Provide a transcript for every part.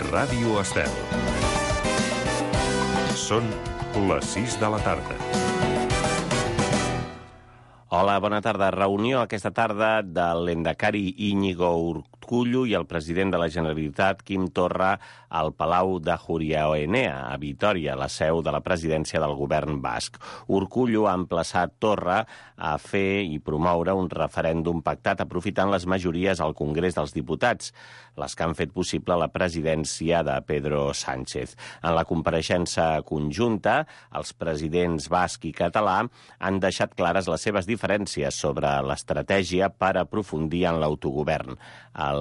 Ràdio Estel. Són les 6 de la tarda. Hola, bona tarda. Reunió aquesta tarda de l'endacari Íñigo Urkullu i el president de la Generalitat, Quim Torra, al Palau de Ajuria-Enea, a Vitòria, la seu de la presidència del govern basc. Urkullu ha emplaçat Torra a fer i promoure un referèndum pactat aprofitant les majories al Congrés dels Diputats, les que han fet possible la presidència de Pedro Sánchez. En la compareixença conjunta, els presidents basc i català han deixat clares les seves diferències sobre l'estratègia per aprofundir en l'autogovern.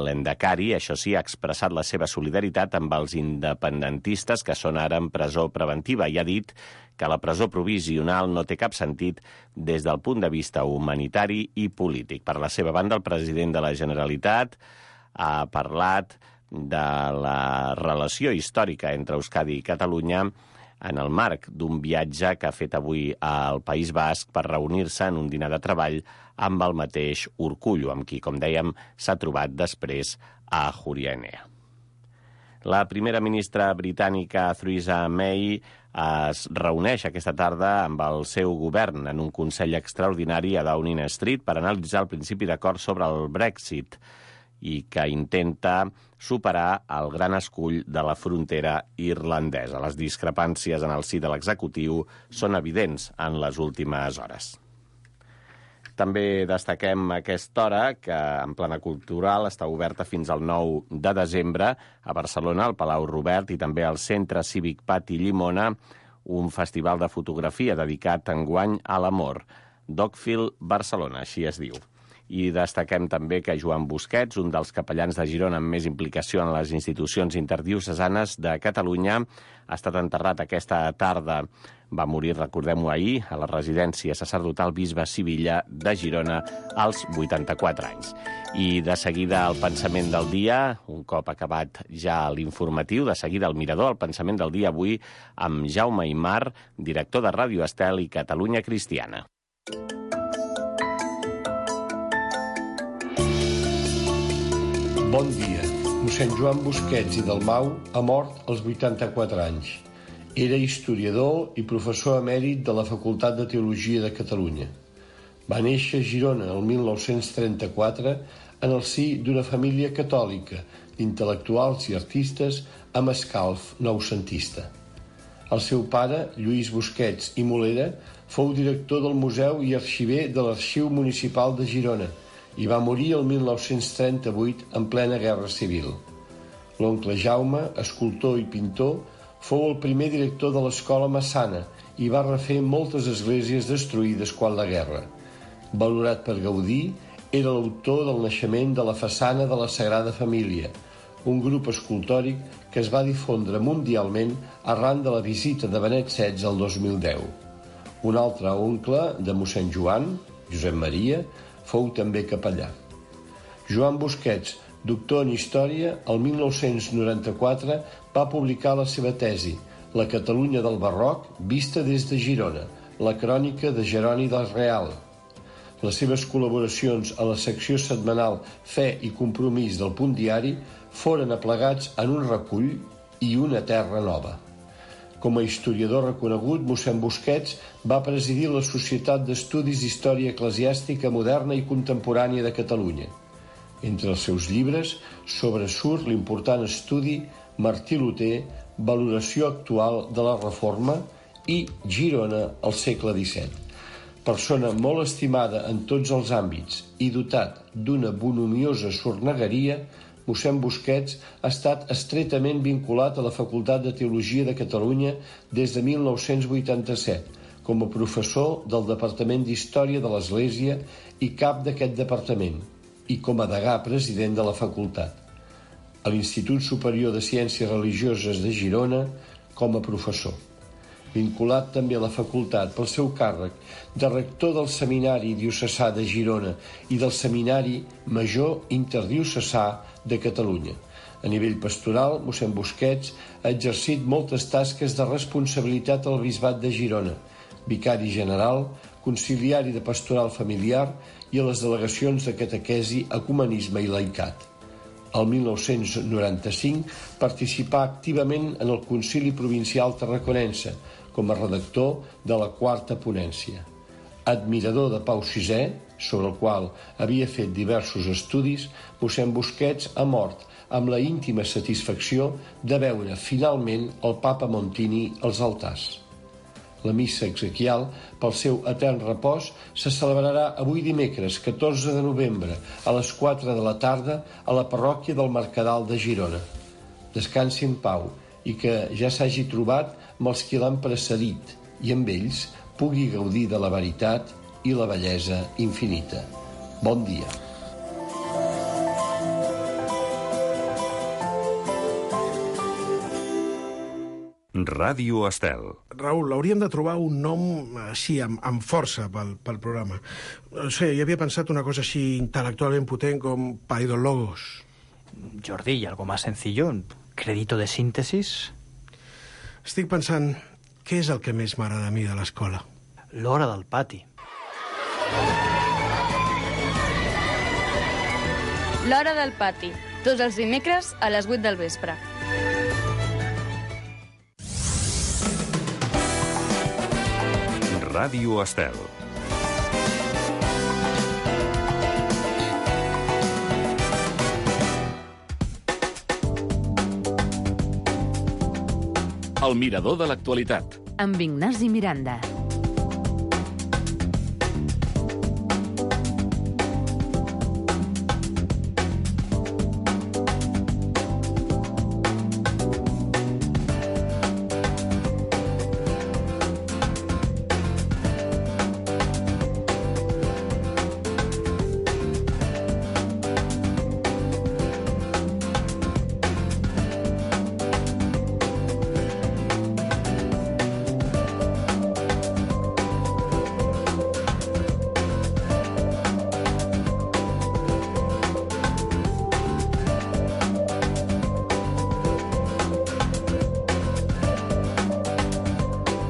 L'endacari, això sí, ha expressat la seva solidaritat amb els independentistes que són ara en presó preventiva i ha dit que la presó provisional no té cap sentit des del punt de vista humanitari i polític. Per la seva banda, el president de la Generalitat ha parlat de la relació històrica entre Euskadi i Catalunya en el marc d'un viatge que ha fet avui al País Basc per reunir-se en un dinar de treball amb el mateix Urkullu, amb qui, com dèiem, s'ha trobat després a Ajuria-Enea. La primera ministra britànica Theresa May es reuneix aquesta tarda amb el seu govern en un consell extraordinari a Downing Street per analitzar el principi d'acord sobre el Brexit i que intenta superar el gran escull de la frontera irlandesa. Les discrepàncies en el si de l'executiu són evidents en les últimes hores. També destaquem a aquesta hora que en plana cultural està oberta fins al 9 de desembre a Barcelona, al Palau Robert i també al Centre Cívic Pati Llimona, un festival de fotografia dedicat enguany a l'amor. Dogfield Barcelona, així es diu. I destaquem també que Joan Busquets, un dels capellans de Girona amb més implicació en les institucions interdiocesanes de Catalunya, ha estat enterrat aquesta tarda. Va morir, recordem-ho ahir, a la residència sacerdotal Bisbe Sivilla de Girona als 84 anys. I de seguida el pensament del dia, un cop acabat ja l'informatiu, de seguida el mirador, el pensament del dia avui amb Jaume Aymar, director de Ràdio Estel i Catalunya Cristiana. Bon dia. Mossèn Joan Busquets i Dalmau ha mort als 84 anys. Era historiador i professor emèrit de la Facultat de Teologia de Catalunya. Va néixer a Girona el 1934 en el si d'una família catòlica, d'intel·lectuals i artistes amb escalf noucentista. El seu pare, Lluís Busquets i Molera, fou director del Museu i arxiver de l'Arxiu Municipal de Girona i va morir el 1938 en plena Guerra Civil. L'oncle Jaume, escultor i pintor, fou el primer director de l'Escola Massana i va refer moltes esglésies destruïdes quan la guerra. Valorat per Gaudí, era l'autor del naixement de la façana de la Sagrada Família, un grup escultòric que es va difondre mundialment arran de la visita de Benet XVI el 2010. Un altre oncle de mossèn Joan, Josep Maria, fou també capellà. Joan Busquets, doctor en Història, el 1994 va publicar la seva tesi, La Catalunya del Barroc vista des de Girona, la crònica de Jeroni del Real. Les seves col·laboracions a la secció setmanal Fe i Compromís del Punt Diari foren aplegats en un recull i una terra nova. Com a historiador reconegut, mossèn Busquets va presidir la Societat d'Estudis d'Història Eclesiàstica Moderna i Contemporània de Catalunya. Entre els seus llibres sobresurt l'important estudi Martí Luter, valoració actual de la Reforma i Girona al segle XVII. Persona molt estimada en tots els àmbits i dotat d'una bonhomiosa sornegueria, mossèn Busquets ha estat estretament vinculat a la Facultat de Teologia de Catalunya des de 1987, com a professor del Departament d'Història de l'Església i cap d'aquest departament, i com a degà president de la facultat. A l'Institut Superior de Ciències Religioses de Girona, com a professor. Vinculat també a la facultat pel seu càrrec de rector del Seminari Diocesà de Girona i del Seminari Major Interdiocesà de Catalunya. A nivell pastoral, mossèn Busquets ha exercit moltes tasques de responsabilitat al Bisbat de Girona, vicari general, conciliari de pastoral familiar i a les delegacions de catequesi, ecumenisme i laicat. El 1995 participà activament en el Concili Provincial Tarraconense com a redactor de la quarta ponència. Admirador de Pau VI, sobre el qual havia fet diversos estudis, mossèn Busquets ha mort amb la íntima satisfacció de veure finalment el papa Montini als altars. La missa exequial, pel seu etern repòs, se celebrarà avui dimecres, 14 de novembre, a les 4 de la tarda, a la parròquia del Mercadal de Girona. Descansi en pau i que ja s'hagi trobat amb els qui l'han precedit i amb ells pugui gaudir de la veritat i la bellesa infinita. Bon dia. Ràdio Estel. Raül, hauríem de trobar un nom així, amb força pel programa. No sé, jo havia pensat una cosa així intel·lectualment potent com Paidologos. Jordi, ¿y algo más sencillo? ¿Crédito de síntesis? Estic pensant, què és el que més m'agrada a mi de l'escola? L'hora del pati. L'hora del pati, tots els dimecres a les 8 del vespre. Ràdio Estel. El mirador de l'actualitat. Amb Ignasi Miranda.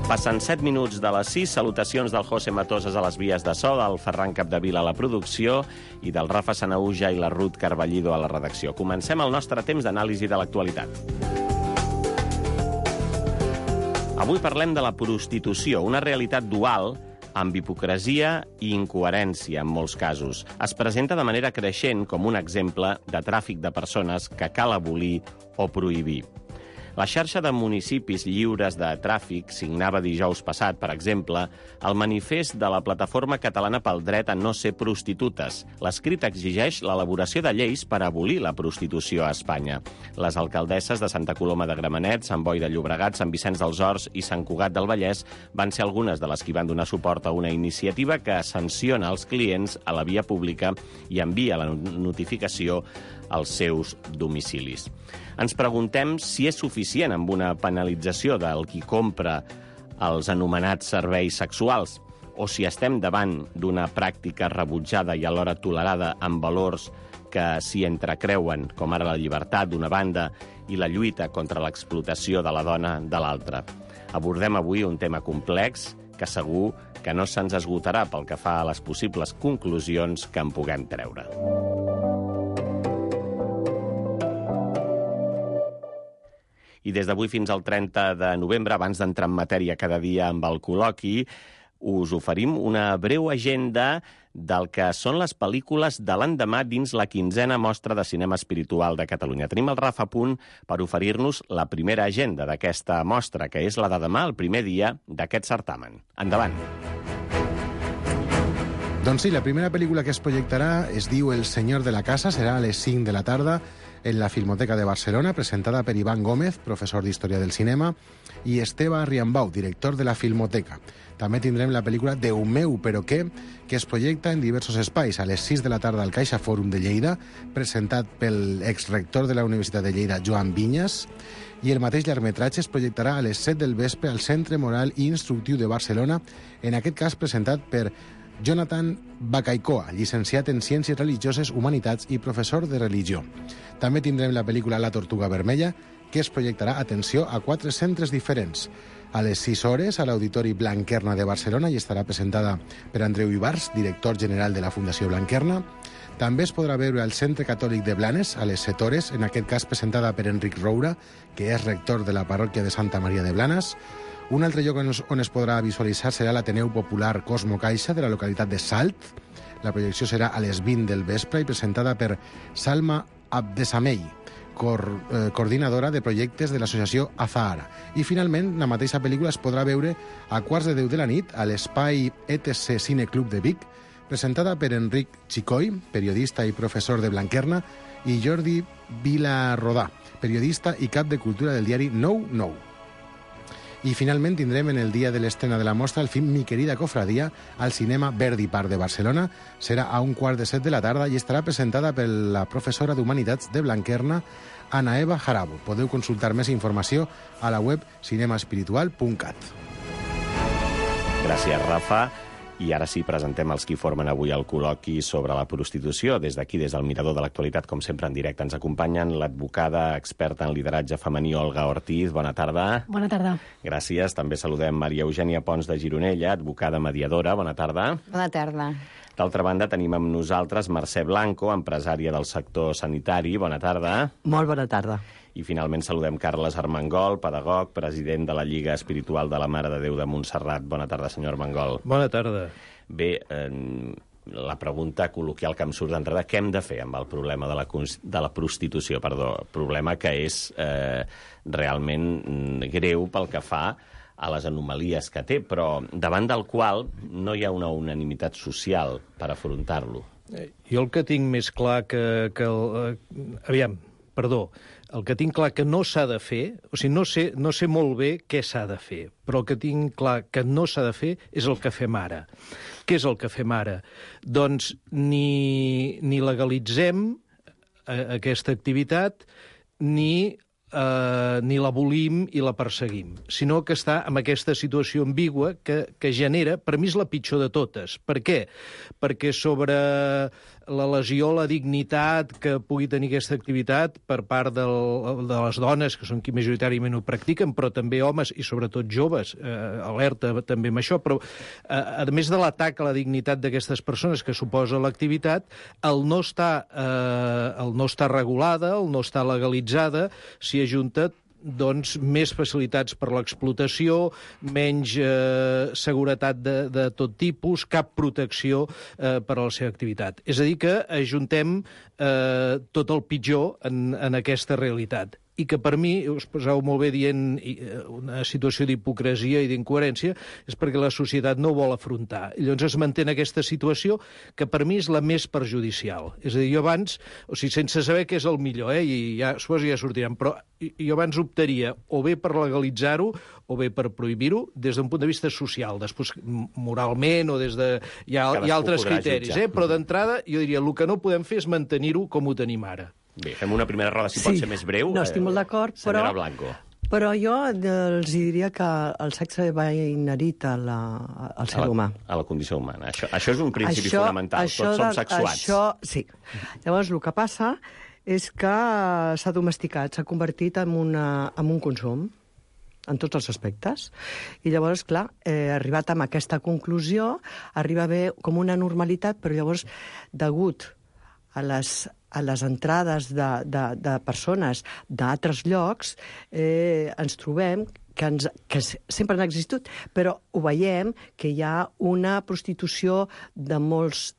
Passen 7 minuts de les 6. Salutacions del José Matoses a les vies de so, del Ferran Capdevila a la producció i del Rafa Sanauja i la Ruth Carballido a la redacció. Comencem el nostre temps d'anàlisi de l'actualitat. Avui parlem de la prostitució, una realitat dual amb hipocresia i incoherència en molts casos. Es presenta de manera creixent com un exemple de tràfic de persones que cal abolir o prohibir. La xarxa de municipis lliures de tràfic signava dijous passat, per exemple, el manifest de la Plataforma Catalana pel Dret a no ser prostitutes. L'escrit exigeix l'elaboració de lleis per abolir la prostitució a Espanya. Les alcaldesses de Santa Coloma de Gramenet, Sant Boi de Llobregat, Sant Vicenç dels Horts i Sant Cugat del Vallès van ser algunes de les que van donar suport a una iniciativa que sanciona els clients a la via pública i envia la notificació als seus domicilis. Ens preguntem si és suficient amb una penalització del qui compra els anomenats serveis sexuals o si estem davant d'una pràctica rebutjada i alhora tolerada amb valors que s'hi entrecreuen, com ara la llibertat d'una banda i la lluita contra l'explotació de la dona de l'altra. Abordem avui un tema complex que segur que no se'ns esgotarà pel que fa a les possibles conclusions que en puguem treure. I des d'avui fins al 30 de novembre, abans d'entrar en matèria cada dia amb el col·loqui, us oferim una breu agenda del que són les pel·lícules de l'endemà dins la 15a Mostra de Cinema Espiritual de Catalunya. Tenim el Rafa a punt per oferir-nos la primera agenda d'aquesta mostra, que és la de demà, el primer dia d'aquest certamen. Endavant! Doncs sí, la primera pel·lícula que es projectarà es diu El senyor de la casa, serà a les 5 de la tarda en la Filmoteca de Barcelona, presentada per Iván Gómez, professor d'Història del Cinema, i Esteve Riambau, director de la Filmoteca. També tindrem la pel·lícula Déu meu, però què?, que es projecta en diversos espais. A les 6 de la tarda al Caixa Fòrum de Lleida, presentat pel exrector de la Universitat de Lleida, Joan Vinyes, i el mateix llargmetratge es projectarà a les 7 del vespre al Centre Moral i Instructiu de Barcelona, en aquest cas presentat per Jonathan Bacaicoa, llicenciat en Ciències Religioses, Humanitats i professor de religió. També tindrem la pel·lícula La Tortuga Vermella, que es projectarà, atenció, a 4 centres diferents. A les 6 hores, a l'Auditori Blanquerna de Barcelona, i estarà presentada per Andreu Ibars, director general de la Fundació Blanquerna. També es podrà veure al Centre Catòlic de Blanes, a les 7 hores, en aquest cas presentada per Enric Roura, que és rector de la parròquia de Santa Maria de Blanes. Un altre lloc on es podrà visualitzar serà l'Ateneu Popular Cosmo Caixa, de la localitat de Salt. La projecció serà a les 20 del vespre i presentada per Salma Abdesamei, coordinadora de projectes de l'associació Azahara. I, finalment, la mateixa pel·lícula es podrà veure a 9:15 de la nit a l'espai ETC Cine Club de Vic, presentada per Enric Xicoi, periodista i professor de Blanquerna, i Jordi Vilarrodà, periodista i cap de cultura del diari 9-9. I, finalment, tindrem en el dia de l'estrena de la mostra el film Mi querida cofradia al cinema Verdi Park de Barcelona. Serà a 6:15 de la tarda i estarà presentada per la professora d'Humanitats de Blanquerna, Ana Eva Jarabo. Podeu consultar més informació a la web cinemaespiritual.cat. Gràcies, Rafa. I ara sí, presentem els qui formen avui el col·loqui sobre la prostitució. Des d'aquí, des del Mirador de l'Actualitat, com sempre en directe, ens acompanyen l'advocada experta en lideratge femení Olga Ortiz. Bona tarda. Bona tarda. Gràcies. També saludem Maria Eugènia Pons de Gironella, advocada mediadora. Bona tarda. Bona tarda. D'altra banda, tenim amb nosaltres Mercè Blanco, empresària del sector sanitari. Bona tarda. Molt bona tarda. I finalment saludem Carles Armengol, pedagog, president de la Lliga Espiritual de la Mare de Déu de Montserrat. Bona tarda, senyor Armengol. Bona tarda. Bé, la pregunta col·loquial que em surt d'enrere, què hem de fer amb el problema de la prostitució? Problema que és realment greu pel que fa a les anomalies que té, però davant del qual no hi ha una unanimitat social per afrontar-lo. Jo el que tinc més clar el que tinc clar que no s'ha de fer, o sigui, no sé molt bé què s'ha de fer, però el que tinc clar que no s'ha de fer és el que fem ara. Què és el que fem ara? Doncs ni legalitzem aquesta activitat, ni l'abolim i la perseguim, sinó que està en aquesta situació ambigua que genera, per mi és la pitjor de totes. Per què? Perquè sobre la lesió a la dignitat que pugui tenir aquesta activitat per part de les dones, que són qui majoritàriament ho practiquen, però també homes i sobretot joves, alerta també amb això, però a més de l'atac a la dignitat d'aquestes persones que suposa l'activitat, el no estar regulada, el no estar legalitzada, s'hi ajunta doncs, més facilitats per l'explotació, menys seguretat de tot tipus, cap protecció per a la seva activitat. És a dir, que ajuntem tot el pitjor en aquesta realitat. I que per mi, us poseu molt bé dient una situació d'hipocresia i d'incoherència, és perquè la societat no ho vol afrontar. I llavors es manté aquesta situació que per mi és la més perjudicial. És a dir, jo abans, o sigui, sense saber què és el millor, i ja, suposo ja sortiran, però jo abans optaria o bé per legalitzar-ho o bé per prohibir-ho des d'un punt de vista social. Després, moralment o des de... Hi ha altres criteris, però d'entrada jo diria el que no podem fer és mantenir-ho com ho tenim ara. Bé, fem una primera roda, si pot ser més breu. No, estic molt d'acord, senyora Blanco. Però jo els diria que el sexe va inherit al ser humà. A la condició humana. Això és un principi fonamental. Tots som sexuats. Sí. Llavors, el que passa és que s'ha domesticat, s'ha convertit en un consum en tots els aspectes. I llavors, clar, arribat a aquesta conclusió, arriba a haver com una normalitat, però llavors, degut a les entrades de persones d'altres llocs, ens trobem que sempre han existit, però ho veiem que hi ha una prostitució de molts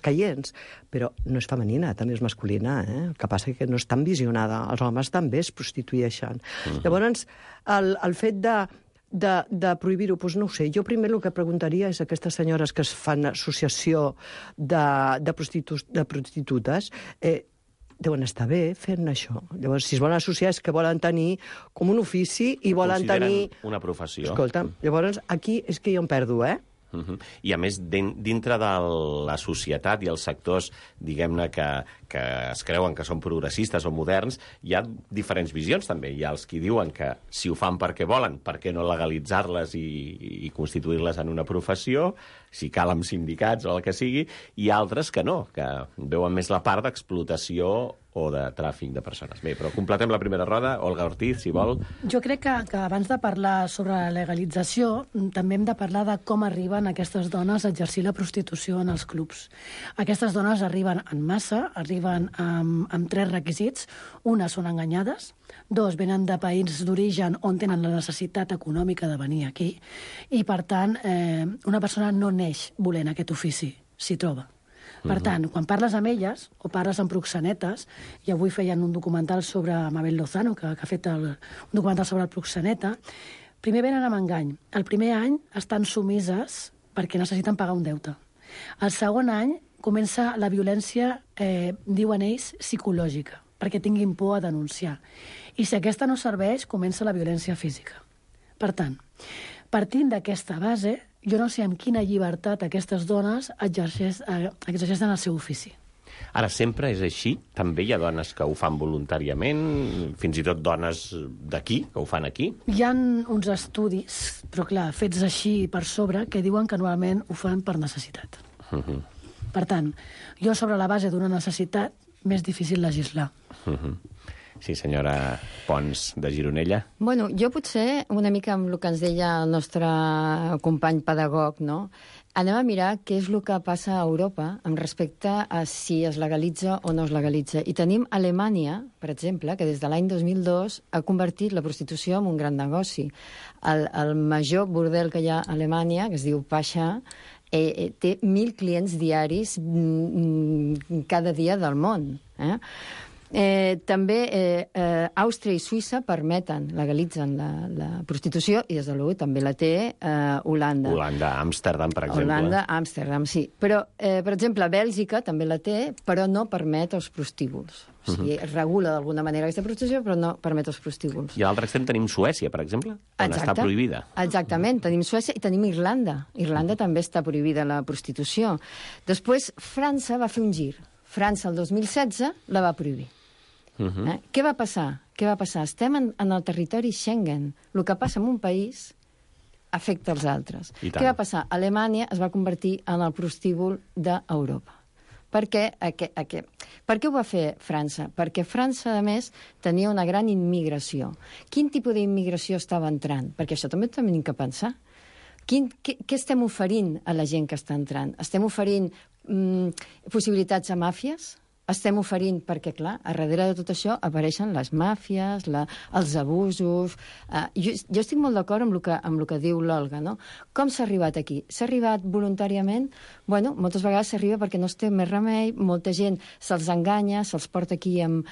caients, però no és femenina, també és masculina. El que passa és que no és tan visionada. Els homes també es prostitueixen. Llavors, el fet de prohibir-ho, doncs no ho sé. Jo primer el que preguntaria és a aquestes senyores que es fan associació de prostitutes, deuen estar bé fent això. Llavors, si es volen associar és que volen tenir com un ofici i volen tenir... una professió. Escolta, llavors aquí és que jo em perdo, I a més, dintre de la societat i els sectors, diguem-ne, que que es creuen que són progressistes o moderns, hi ha diferents visions també. Hi ha els que diuen que si ho fan perquè volen, per què no legalitzar-les i constituir-les en una professió, si cal amb sindicats o el que sigui, i altres que no, que veuen més la part d'explotació o de tràfic de persones. Bé, però completem la primera roda. Olga Ortiz, si vol. Jo crec que abans de parlar sobre la legalització, també hem de parlar de com arriben aquestes dones a exercir la prostitució en els clubs. Aquestes dones arriben en massa, arriben amb 3 requisits. Una, són enganyades. 2, venen de països d'origen on tenen la necessitat econòmica de venir aquí. I, per tant, una persona no neix volent aquest ofici, s'hi troba. Per tant, quan parles amb elles o parles amb proxenetes, i avui feien un documental sobre Mabel Lozano, que ha fet un documental sobre el proxeneta, primer venen amb engany. El primer any estan sumises perquè necessiten pagar un deute. El segon any comença la violència, diuen ells, psicològica, perquè tinguin por a denunciar. I si aquesta no serveix, comença la violència física. Per tant, partint d'aquesta base, jo no sé amb quina llibertat aquestes dones exerceixen el seu ofici. Ara, sempre és així? També hi ha dones que ho fan voluntàriament, fins i tot dones d'aquí, que ho fan aquí? Hi ha uns estudis, però clar, fets així per sobre, que diuen que normalment ho fan per necessitat. Per tant, jo sobre la base d'una necessitat, més difícil legislar. Sí, senyora Pons, de Gironella. Bueno, jo potser, una mica amb el que ens deia el nostre company pedagog, no? Anem a mirar què és el que passa a Europa amb respecte a si es legalitza o no es legalitza. I tenim Alemanya, per exemple, que des de l'any 2002 ha convertit la prostitució en un gran negoci. El major bordel que hi ha a Alemanya, que es diu Pasha, té 1.000 clients diaris cada dia del món. També Àustria i Suïssa permeten, legalitzen la prostitució, i des de l'UE també la té Holanda. Holanda, Amsterdam, per exemple. Holanda, Amsterdam, sí. Però, per exemple, Bèlgica també la té, però no permet els prostíbuls. O sigui, regula d'alguna manera aquesta prostitució, però no permet els prostíbuls. I a l'altre extrem tenim Suècia, per exemple, on està prohibida. Exactament, tenim Suècia i tenim Irlanda. Irlanda també està prohibida la prostitució. Després, França va fer un gir. França, el 2016, la va prohibir. Què va passar? Estem en el territori Schengen. El que passa en un país afecta els altres. Què va passar? Alemanya es va convertir en el prostíbul d'Europa. Per què ho va fer França? Perquè França, a més, tenia una gran immigració. Quin tipus d'immigració estava entrant? Perquè això també tenim que pensar. Què estem oferint a la gent que està entrant? Estem oferint possibilitats a màfies? Estem oferint, perquè, clar, a darrere de tot això apareixen les màfies, els abusos... Jo estic molt d'acord amb el que diu l'Olga, no? Com s'ha arribat aquí? S'ha arribat voluntàriament? Bueno, moltes vegades s'arriba perquè no es té més remei, molta gent se'ls enganya, se'ls porta aquí amb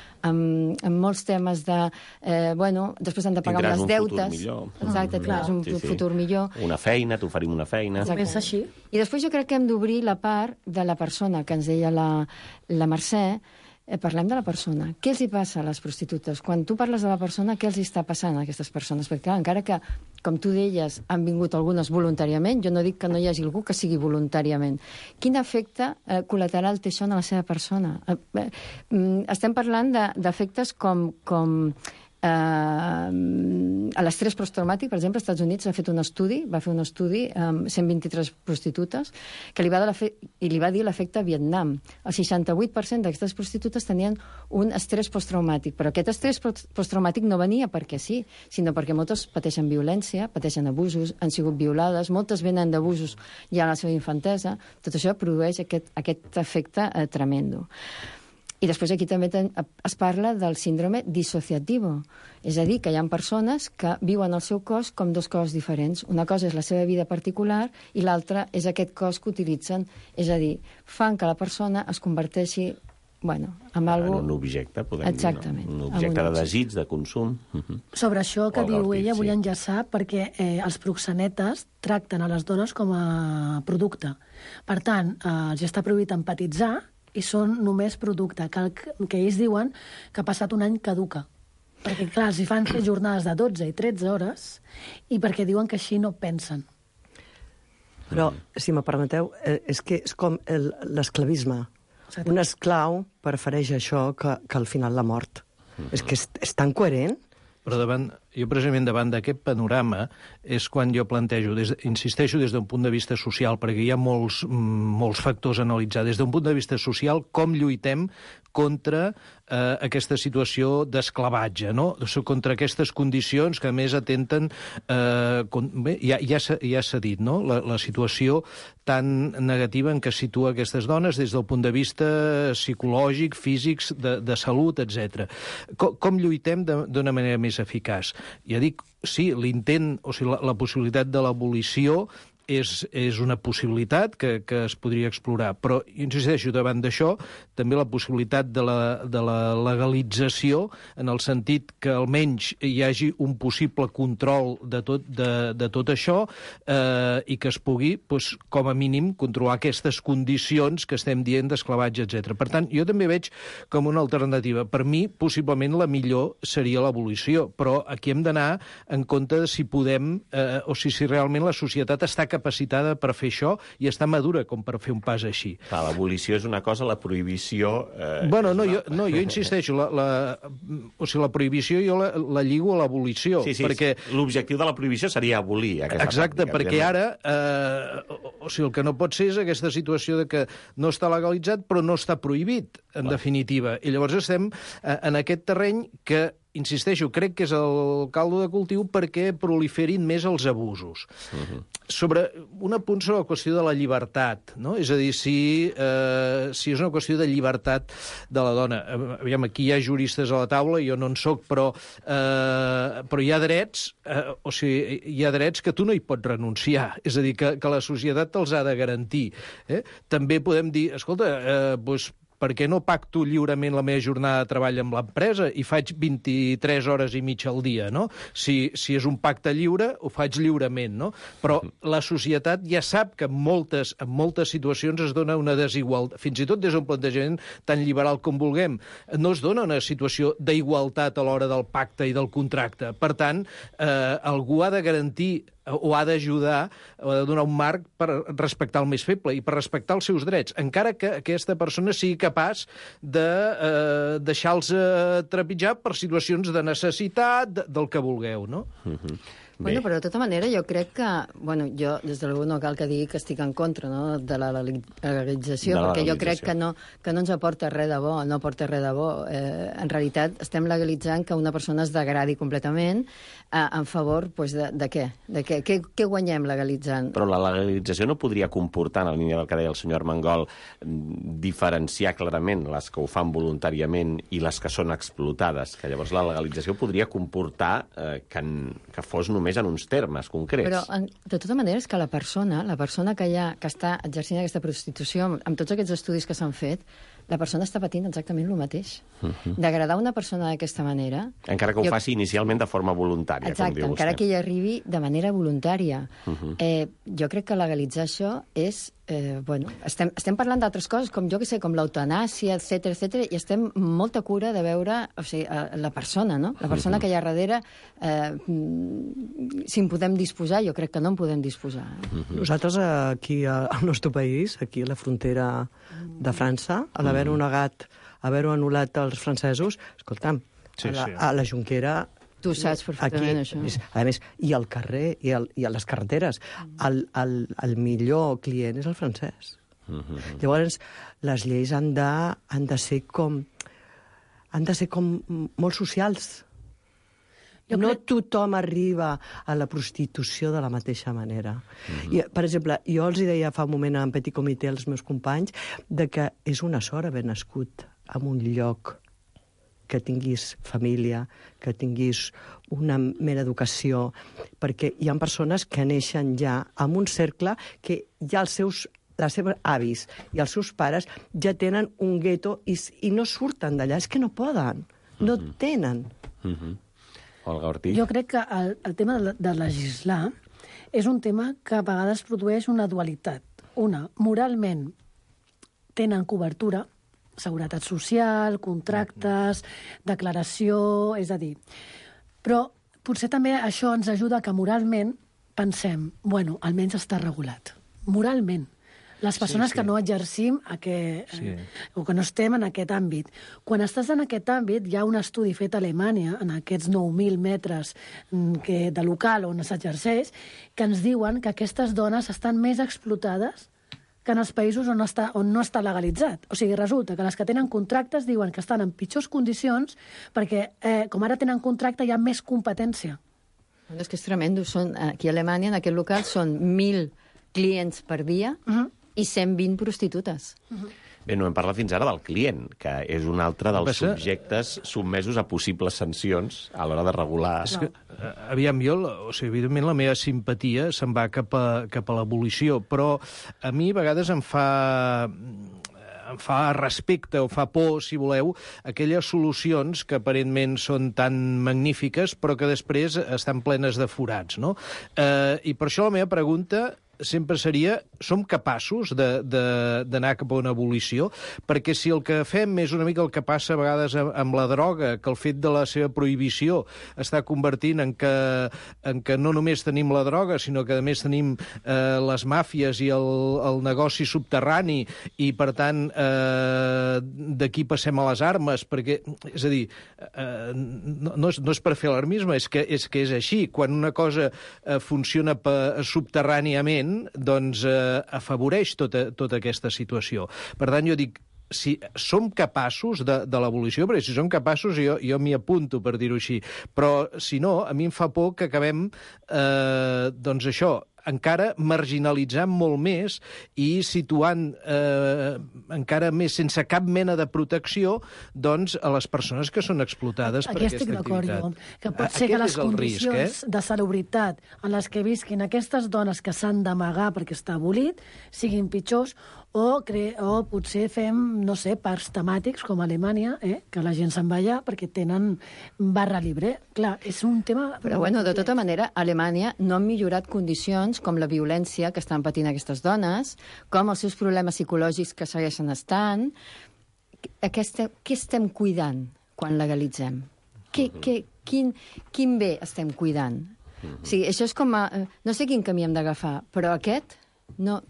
molts temes de... després han de pagar unes deutes. Tindràs un futur millor. Exacte, tindràs un futur millor. Una feina, t'oferim una feina. Comença així. I després jo crec que hem d'obrir la part de la persona, que ens deia la Mercè. Parlem de la persona. Què els hi passa a les prostitutes? Quan tu parles de la persona, què els hi està passant a aquestes persones? Perquè, clar, encara que, com tu deies, han vingut algunes voluntàriament, jo no dic que no hi hagi algú que sigui voluntàriament. Quin efecte col·lateral té això en la seva persona? Estem parlant d'efectes com a l'estrès posttraumàtic, per exemple, als Estats Units va fer un estudi amb 123 prostitutes que li va dir l'efecte Vietnam. El 68% d'aquestes prostitutes tenien un estrès posttraumàtic, però aquest estrès posttraumàtic no venia perquè sí, sinó perquè moltes pateixen violència, pateixen abusos, han sigut violades, moltes venen d'abusos ja a la seva infantesa. Tot això produeix aquest efecte tremendo. I després aquí també es parla del síndrome dissociativo. És a dir, que hi ha persones que viuen el seu cos com dues coses diferents. Una cosa és la seva vida particular i l'altra és aquest cos que utilitzen. És a dir, fan que la persona es converteixi en un objecte, podem dir. Exactament. Un objecte de desig, de consum. Sobre això que diu ella, vull enllaçar perquè els proxenetes tracten a les dones com a producte. Per tant, els està prohibit empatitzar i són només producte, que ells diuen que ha passat un any caduca. Perquè, clar, els hi fan fer jornades de 12 i 13 hores i perquè diuen que així no pensen. Però, si me permeteu, és que és com l'esclavisme. Un esclau prefereix això que al final la mort. És que és tan coherent. Però jo precisament davant d'aquest panorama és quan jo plantejo, insisteixo des d'un punt de vista social, perquè hi ha molts factors a analitzar. Des d'un punt de vista social, com lluitem contra aquesta situació d'esclavatge, no? Contra aquestes condicions que, a més, atenten... Ja s'ha dit, no? La situació tan negativa en què es situa aquestes dones des del punt de vista psicològic, físic, de salut, etc. Com lluitem d'una manera més eficaç? Ja dic, sí, l'intent, o sigui, la possibilitat de l'abolició és una possibilitat que es podria explorar, però, insisteixo, davant d'això, també la possibilitat de la legalització, en el sentit que almenys hi hagi un possible control de tot això i que es pugui, com a mínim, controlar aquestes condicions que estem dient d'esclavatge, etc. Per tant, jo també veig com una alternativa. Per mi, possiblement, la millor seria l'abolició, però aquí hem d'anar en compte de si podem, o si realment la societat està capacitada per fer això i està madura com per fer un pas així. Clar, l'abolició és una cosa, la prohibició... Bueno, jo insisteixo, la prohibició jo la lligo a l'abolició. Sí, perquè l'objectiu de la prohibició seria abolir aquesta pràctica. Exacte, perquè ara, el que no pot ser és aquesta situació de que no està legalitzat però no està prohibit, en definitiva. I llavors estem en aquest terreny que, insisteixo, crec que és el caldo de cultiu perquè proliferin més els abusos. Sobre un apunt sobre la qüestió de la llibertat, no? És a dir, si és una qüestió de llibertat de la dona. Aviam, aquí hi ha juristes a la taula, jo no en soc, però hi ha drets, hi ha drets que tu no hi pots renunciar. És a dir, que la societat te'ls ha de garantir. També podem dir, escolta, per què no pacto lliurement la meva jornada de treball amb l'empresa i faig 23 hores i mitja al dia, no? Si és un pacte lliure, ho faig lliurement, no? Però la societat ja sap que en moltes situacions es dona una desigualtat, fins i tot des d'un plantejament tan liberal com vulguem, no es dona una situació d'igualtat a l'hora del pacte i del contracte. Per tant, algú ha de garantir o ha d'ajudar, o ha de donar un marc per respectar el més feble i per respectar els seus drets, encara que aquesta persona sigui capaç de deixar-los trepitjar per situacions de necessitat, del que vulgueu, no? Bueno, però de tota manera jo crec que... Bueno, jo, des de l'algú no cal que digui que estic en contra, no?, de la legalització, perquè jo crec que no ens aporta res de bo, no aporta res de bo. En realitat estem legalitzant que una persona es degradi completament en favor de què? Què guanyem legalitzant? Però la legalització no podria comportar, en la línia del que deia el senyor Armengol, diferenciar clarament les que ho fan voluntàriament i les que són explotades, que llavors la legalització podria comportar que fos només en uns termes concrets. Però, de tota manera, és que la persona que està exercint aquesta prostitució, amb tots aquests estudis que s'han fet, la persona està patint exactament el mateix. Degradar una persona d'aquesta manera... Encara que ho faci inicialment de forma voluntària, com diu vostè. Encara que hi arribi de manera voluntària. Jo crec que legalitzar això és... estem parlant d'altres coses, com jo que sé, com l'eutanàsia, etc, i estem molta cura de veure la persona, no? La persona que hi ha darrere, si en podem disposar, jo crec que no en podem disposar. Nosaltres aquí al nostre país, aquí a la frontera de França, a l'haver-ho negat, haver-ho anul·lat als francesos, escolta'm, a la Jonquera... Tu saps perfectament això. A més, i al carrer, i a les carreteres, el millor client és el francès. Llavors, les lleis han de ser com molt socials. No tothom arriba a la prostitució de la mateixa manera. Per exemple, jo els deia fa un moment en petit comitè als meus companys que és una sort haver nascut en un lloc que tinguis família, que tinguis una mera educació, perquè hi ha persones que neixen ja en un cercle que ja els seus avis i els seus pares ja tenen un gueto i no surten d'allà, és que no poden, no tenen. Olga Ortiz. Jo crec que el tema de legislar és un tema que a vegades produeix una dualitat. Una, moralment tenen cobertura, seguretat social, contractes, declaració, és a dir... Però potser també això ens ajuda que moralment pensem, bueno, almenys està regulat. Moralment. Les persones que no exercim o que no estem en aquest àmbit. Quan estàs en aquest àmbit, hi ha un estudi fet a Alemanya, en aquests 9.000 metres de local on s'exerceix, que ens diuen que aquestes dones estan més explotades que en els països on no està legalitzat. O sigui, resulta que les que tenen contractes diuen que estan en pitjors condicions perquè, com ara tenen contracte, hi ha més competència. És que és tremendo. Aquí a Alemanya, en aquest local, són 1.000 clients per dia i 120 prostitutes. Bé, no hem parlat fins ara del client, que és un altre dels subjectes sotmesos a possibles sancions a l'hora de regular. És que, aviam, evidentment la meva simpatia se'n va cap a l'abolició, però a mi a vegades em fa respecte o fa por, si voleu, aquelles solucions que aparentment són tan magnífiques però que després estan plenes de forats, no? I per això la meva pregunta sempre seria, som capaços d'anar cap a una abolició? Perquè si el que fem és una mica el que passa a vegades amb la droga, que el fet de la seva prohibició està convertint en que no només tenim la droga, sinó que a més tenim les màfies i el negoci subterrani, i per tant d'aquí passem a les armes, perquè, és a dir, no és per fer alarmisme, és que és així. Quan una cosa funciona subterràniament, doncs afavoreix tota aquesta situació. Per tant, jo dic, si som capaços de l'abolició, perquè si som capaços jo m'hi apunto, per dir-ho així, però si no, a mi em fa por que acabem, doncs això, encara marginalitzant molt més i situant encara més, sense cap mena de protecció, doncs, a les persones que són explotades per aquesta activitat. Aquí estic d'acord, jo. Que pot ser que les condicions de salubritat en les que visquin aquestes dones que s'han d'amagar perquè està abolit siguin pitjors, o potser fem, no sé, parcs temàtics com a Alemanya, que la gent se'n va allà perquè tenen barra libre. Clar, és un tema... Però, bueno, de tota manera, a Alemanya no han millorat condicions com la violència que estan patint aquestes dones, com els seus problemes psicològics que segueixen estant. Què estem cuidant quan legalitzem? Quin bé estem cuidant? O sigui, això és com no sé quin camí hem d'agafar, però aquest no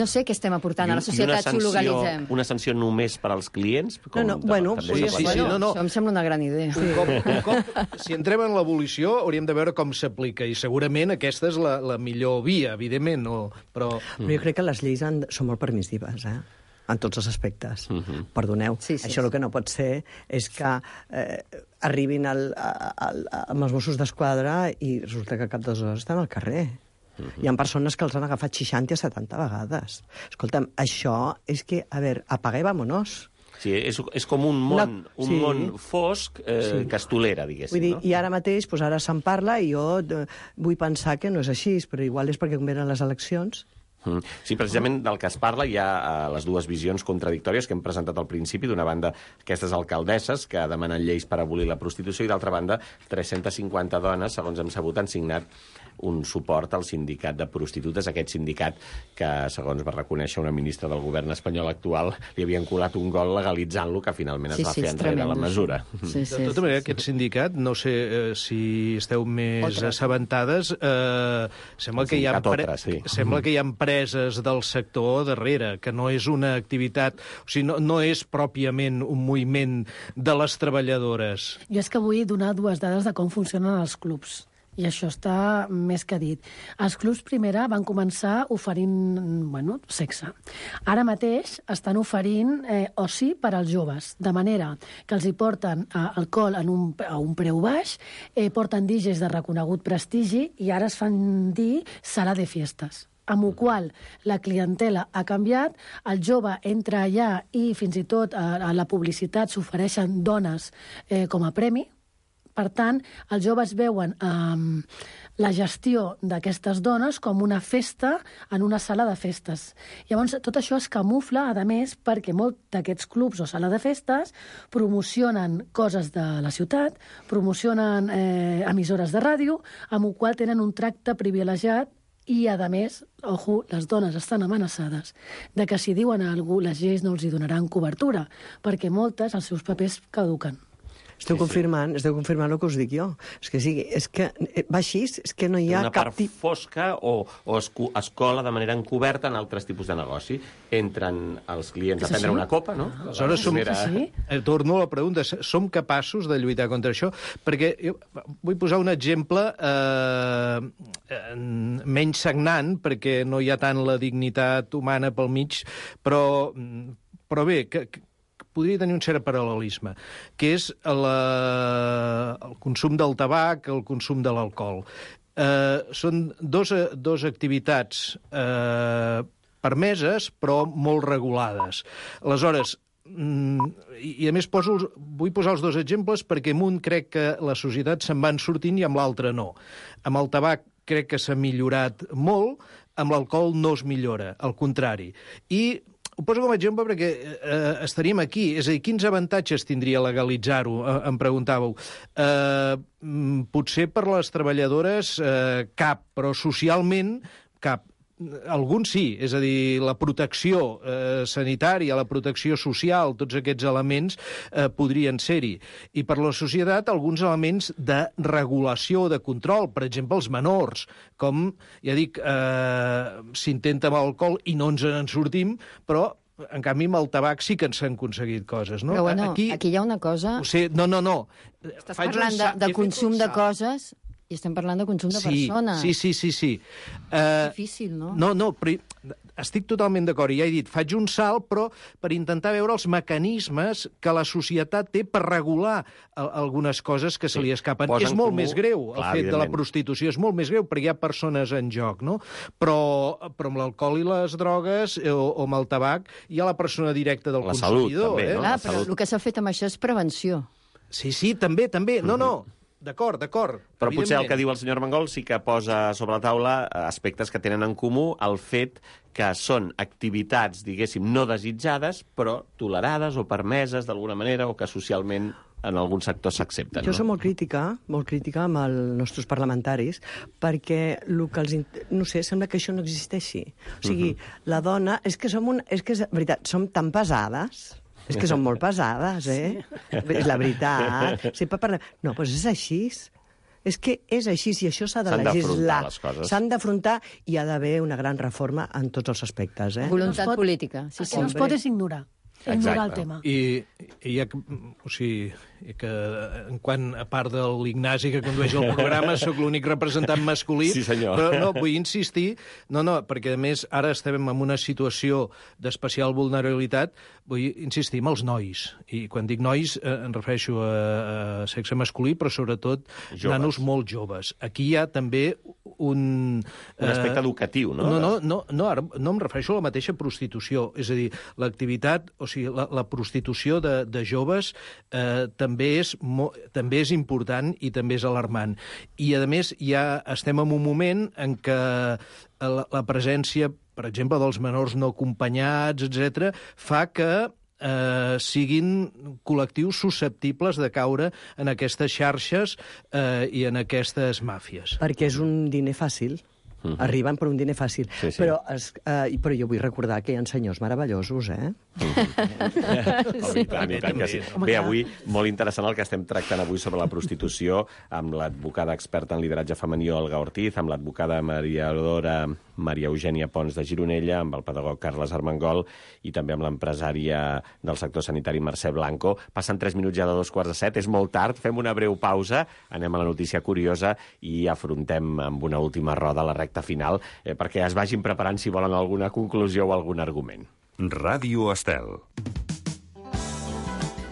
sé què estem aportant a la societat si ho legalitzem. Una sanció només per als clients? Això em sembla una gran idea. Un cop, si entrem en l'abolició, hauríem de veure com s'aplica, i segurament aquesta és la millor via, evidentment, però jo crec que les lleis són molt permissives, en tots els aspectes. Perdoneu, això el que no pot ser és que arribin amb els Mossos d'Esquadra i resulta que cap 2 hores estan al carrer. Hi ha persones que els han agafat 60 a 70 vegades. Escolta'm, això és que, a veure, apaga i vámonos. Sí, és com un món fosc que es tolera, diguéssim. Vull dir, i ara mateix, ara se'n parla, i jo vull pensar que no és així, però igual és perquè com venen les eleccions... Sí, precisament del que es parla hi ha les dues visions contradictòries que hem presentat al principi. D'una banda, aquestes alcaldesses que demanen lleis per abolir la prostitució, i d'altra banda, 350 dones, segons hem sabut, han signat un suport al sindicat de prostitutes, aquest sindicat que, segons va reconèixer una ministra del govern espanyol actual, li havien colat un gol legalitzant-lo, que finalment es va fer enrere la mesura. De tota manera, aquest sindicat, no sé si esteu més assabentades, sembla que hi ha empreses del sector darrere, que no és una activitat, o sigui, no és pròpiament un moviment de les treballadores. Jo és que vull donar 2 dades de com funcionen els clubs. I això està més que dit. Els clubs primera van començar oferint, sexe. Ara mateix estan oferint oci per als joves, de manera que els hi porten alcohol a un preu baix, porten DJs de reconegut prestigi i ara es fan dir sala de fiestes. Amb la qual la clientela ha canviat, el jove entra allà i fins i tot a la publicitat s'ofereixen dones com a premi. Per tant, els joves veuen la gestió d'aquestes dones com una festa en una sala de festes. Llavors, tot això es camufla, a més, perquè molts d'aquests clubs o sala de festes promocionen coses de la ciutat, promocionen emissores de ràdio, amb el qual tenen un tracte privilegiat i, a més, les dones estan amenaçades de que si diuen a algú les lleis no els hi donaran cobertura, perquè moltes, els seus papers caduquen. Esteu confirmant el que us dic jo. És que va així, és que no hi ha una cap part fosca o es cola de manera encoberta en altres tipus de negoci. Entren els clients a prendre una copa, no? Aleshores, torno a la pregunta, som capaços de lluitar contra això? Perquè jo vull posar un exemple menys sagnant, perquè no hi ha tant la dignitat humana pel mig, però bé, que podria tenir un cert paral·lelisme, que és el consum del tabac, el consum de l'alcohol. Són dos activitats permeses, però molt regulades. Aleshores, i a més vull posar els dos exemples perquè amb un crec que la societat se'n van sortint i amb l'altre no. Amb el tabac crec que s'ha millorat molt, amb l'alcohol no es millora, al contrari. I ho poso com a exemple perquè estaríem aquí. És a dir, quins avantatges tindria legalitzar-ho, em preguntàveu. Potser per les treballadores cap, però socialment cap. Alguns sí, és a dir, la protecció sanitària, la protecció social, tots aquests elements podrien ser-hi. I per la societat, alguns elements de regulació, de control, per exemple, els menors, com, ja dic, s'intenta amb alcohol i no ens en sortim, però en canvi, amb el tabac sí que ens han aconseguit coses, no? Però bueno, aquí hi ha una cosa... No. Estàs parlant de consum de coses... I estem parlant de consum de persones. Sí. És difícil, no? No, però estic totalment d'acord. I ja he dit, faig un salt, però per intentar veure els mecanismes que la societat té per regular algunes coses que se li escapen. És molt més greu, el fet de la prostitució. És molt més greu, perquè hi ha persones en joc, no? Però amb l'alcohol i les drogues, o amb el tabac, hi ha la persona directa del consumidor. També, no? Clar, però el que s'ha fet amb això és prevenció. Sí, també. No. D'acord. Però potser el que diu el senyor Armengol sí que posa sobre la taula aspectes que tenen en comú el fet que són activitats, diguéssim, no desitjades, però tolerades o permeses d'alguna manera, o que socialment en alguns sectors s'accepten. Jo soc molt crítica amb els nostres parlamentaris, perquè el que els... No sé, sembla que això no existeixi. O sigui, la dona... És que és veritat, som tan pesades... És que són molt pesades, eh? Sí. És la veritat. Sempre parlem... No, doncs és així. És que és així, i això s'ha de legislar. S'han d'afrontar i hi ha d'haver una gran reforma en tots els aspectes, eh? Voluntat política. Sí, el que no es pot és ignorar el tema. I hi ha... O sigui, que en quant a part de l'Ignasi que condueix el programa, sóc l'únic representant masculí. Sí, senyor. Però no, vull insistir... No, perquè a més ara estem en una situació d'especial vulnerabilitat. Vull insistir en els nois. I quan dic nois em refereixo a sexe masculí, però sobretot nanos molt joves. Aquí hi ha també un aspecte educatiu, no? No, ara no em refereixo a la mateixa prostitució. És a dir, l'activitat, o sigui, la prostitució de joves també és important i també és alarmant. I, a més, ja estem en un moment en què la presència, per exemple, dels menors no acompanyats, etc., fa que siguin col·lectius susceptibles de caure en aquestes xarxes i en aquestes màfies. Perquè és un diner fàcil. Arriben per un diner fàcil. Sí. Però jo vull recordar que hi ha senyors meravellosos, eh? I tant que sí. Bé, avui, molt interessant el que estem tractant avui sobre la prostitució amb l'advocada experta en lideratge femení Olga Ortiz, amb l'advocada mediadora Maria Eugènia Pons de Gironella, amb el pedagog Carles Armengol i també amb l'empresària del sector sanitari Mercè Blanco. Passen 3 minuts ja de 2:45, és molt tard, fem una breu pausa, anem a la notícia curiosa i afrontem amb una última roda la recta final, perquè es vagin preparant si volen alguna conclusió o algun argument. Ràdio Estel.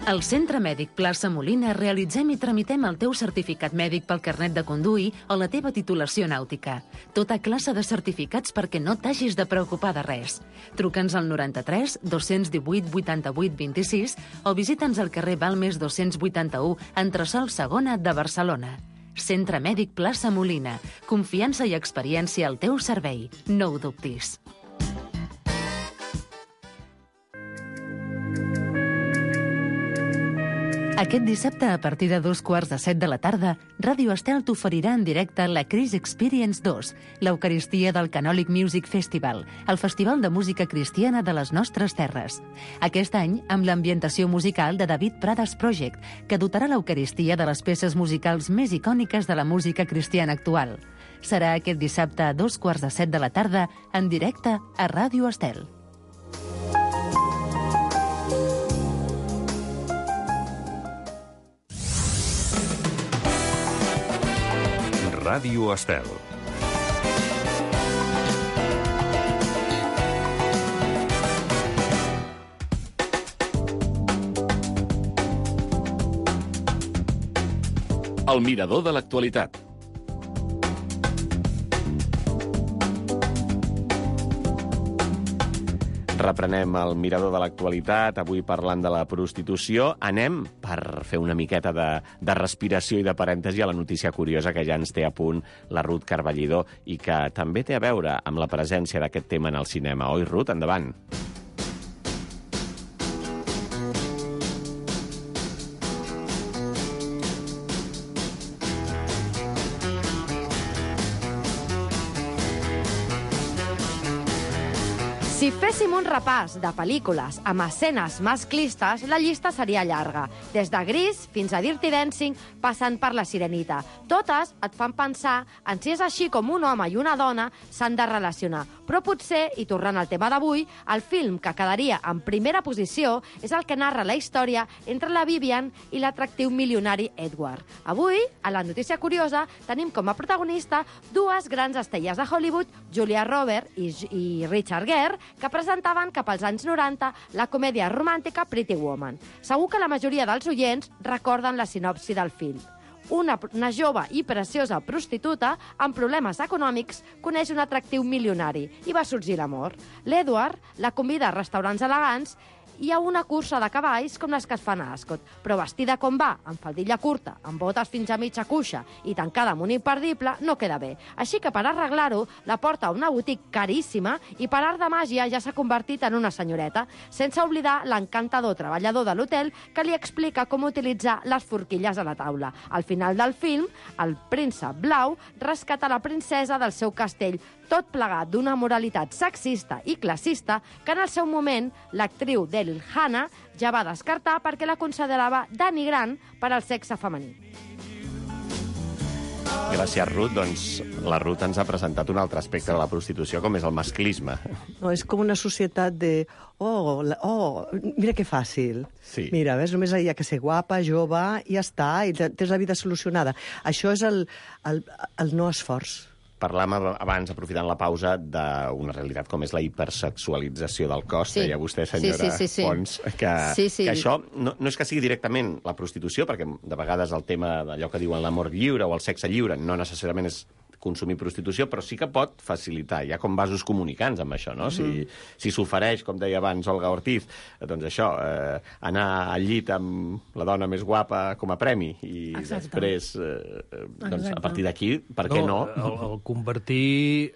Al Centre Mèdic Plaça Molina realitzem i tramitem el teu certificat mèdic pel carnet de conduir o la teva titulació nàutica. Tota classe de certificats perquè no t'hagis de preocupar de res. Truca'ns al 93 218 88 26 o visita'ns al carrer Balmes 281, entresòl Segona de Barcelona. Centre Mèdic Plaça Molina. Confiança i experiència al teu servei. No ho dubtis. Aquest dissabte, a partir de 2:15 de la tarda, Ràdio Estel t'oferirà en directe la Chris Experience 2, l'Eucaristia del Canòlic Music Festival, el festival de música cristiana de les nostres terres. Aquest any, amb l'ambientació musical de David Prades Project, que dotarà l'Eucaristia de les peces musicals més icòniques de la música cristiana actual. Serà aquest dissabte a 2:15 de la tarda, en directe a Ràdio Estel. Ràdio Estel. El mirador de l'actualitat. Reprenem el mirador de l'actualitat, avui parlant de la prostitució. Anem, per fer una miqueta de respiració i de parèntesi, a la notícia curiosa que ja ens té a punt la Ruth Carballidó i que també té a veure amb la presència d'aquest tema en el cinema. Oi, Ruth? Endavant. Si féssim un repàs de pel·lícules amb escenes masclistes, la llista seria llarga. Des de Gris fins a Dirty Dancing, passant per La Sirenita. Totes et fan pensar en si és així com un home i una dona s'han de relacionar. Però potser, i tornant al tema d'avui, el film que quedaria en primera posició és el que narra la història entre la Vivian i l'atractiu milionari Edward. Avui, a la notícia curiosa, tenim com a protagonista dues grans estrelles de Hollywood, Julia Roberts i Richard Gere, que presentaven cap als anys 90 la comèdia romàntica Pretty Woman. Segur que la majoria dels oients recorden la sinopsi del film. Una jove i preciosa prostituta amb problemes econòmics coneix un atractiu milionari i va sorgir l'amor. L'Edward la convida a restaurants elegants i a una cursa de cavalls com les que es fan a Ascot, però vestida com va, amb faldilla curta, amb botes fins a mitja cuixa i tancada amb un imperdible, no queda bé. Així que per arreglar-ho, la porta a una botiga caríssima i per art de màgia ja s'ha convertit en una senyoreta, sense oblidar l'encantador treballador de l'hotel que li explica com utilitzar les forquilles a la taula. Al final del film, el príncep blau rescata la princesa del seu castell, tot plegat d'una moralitat sexista i classista que en el seu moment l'actriu Daryl Hannah ja va descartar perquè la considerava denigrant per al sexe femení. Gràcies, Ruth. Doncs la Ruth ens ha presentat un altre aspecte de la prostitució, com és el masclisme. No, és com una societat de... mira que fàcil. Sí. Mira, ves, només hi ha que ser guapa, jove, i ja està, i tens la vida solucionada. Això és el no esforç. Parlàvem abans, aprofitant la pausa, d'una realitat com és la hipersexualització del cos. Sí. Deia vostè, senyora Pons, que això no és que sigui directament la prostitució, perquè de vegades el tema d'allò que diuen l'amor lliure o el sexe lliure no necessàriament és consumir prostitució, però sí que pot facilitar. Hi ha com vasos comunicants amb això, no? Si s'ofereix, com deia abans Olga Ortiz, doncs això, anar al llit amb la dona més guapa com a premi i després, doncs, a partir d'aquí, per què no? El convertir...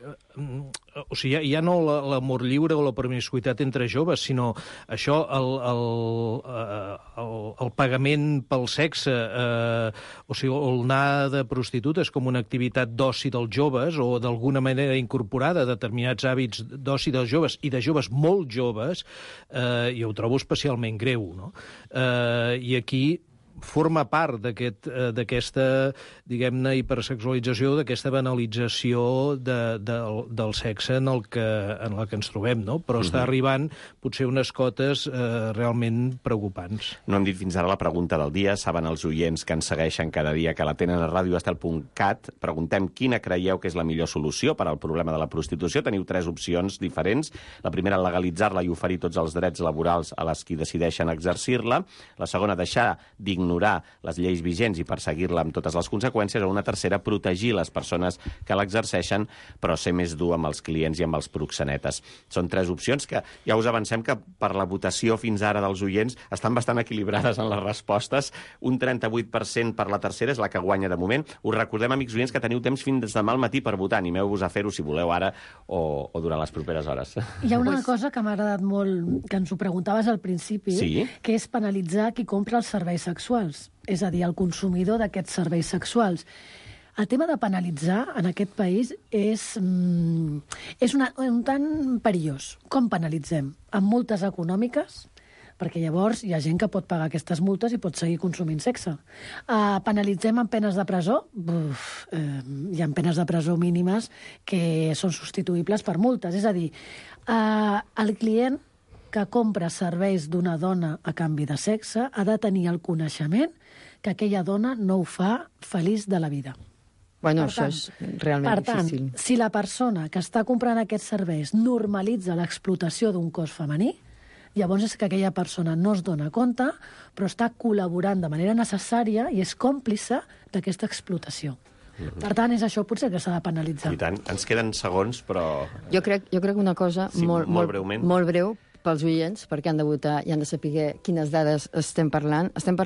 O sigui, ja no l'amor lliure o la promiscuitat entre joves, sinó això, el pagament pel sexe, o sigui, el anar de prostitutes com una activitat d'oci dels joves o d'alguna manera incorporada a determinats hàbits d'oci dels joves i de joves molt joves, jo ho trobo especialment greu, no? I aquí forma part d'aquesta, diguem-ne, hipersexualització, d'aquesta banalització del sexe en el que ens trobem, no? Però està arribant potser unes cotes realment preocupants. No hem dit fins ara la pregunta del dia. Saben els oients que ens segueixen cada dia, que la tenen a radioestel.cat. Preguntem quina creieu que és la millor solució per al problema de la prostitució. Teniu 3 opcions diferents. La primera, legalitzar-la i oferir tots els drets laborals a les qui decideixen exercir-la. La segona, deixar d'ignorar les lleis vigents i perseguir-la amb totes les conseqüències, o una tercera, protegir les persones que l'exerceixen, però ser més dur amb els clients i amb els proxenetes. Són 3 opcions que ja us avancem que per la votació fins ara dels oients estan bastant equilibrades en les respostes. Un 38% per la tercera és la que guanya de moment. Us recordem, amics oients, que teniu temps fins demà al matí per votar. Animeu-vos a fer-ho si voleu ara o durant les properes hores. Hi ha una cosa que m'ha agradat molt, que ens ho preguntaves al principi, que és penalitzar qui compra els serveis sexuals. sexuals, és a dir, el consumidor d'aquests serveis sexuals. El tema de penalitzar en aquest país és un tant perillós. Com penalitzem? Amb multes econòmiques, perquè llavors hi ha gent que pot pagar aquestes multes i pot seguir consumint sexe. Penalitzem amb penes de presó? Hi ha penes de presó mínimes que són substituïbles per multes. És a dir, el client que compra serveis d'una dona a canvi de sexe ha de tenir el coneixement que aquella dona no ho fa feliç de la vida. Bueno, això és realment difícil. Per tant, si la persona que està comprant aquests serveis normalitza l'explotació d'un cos femení, llavors és que aquella persona no es dona compte, però està col·laborant de manera necessària i és còmplice d'aquesta explotació. Per tant, és això potser que s'ha de penalitzar. I tant. Ens queden segons, però... Jo crec una cosa molt breu pels oients, perquè han de votar i han de saber quines dades estem parlant. Estem parlant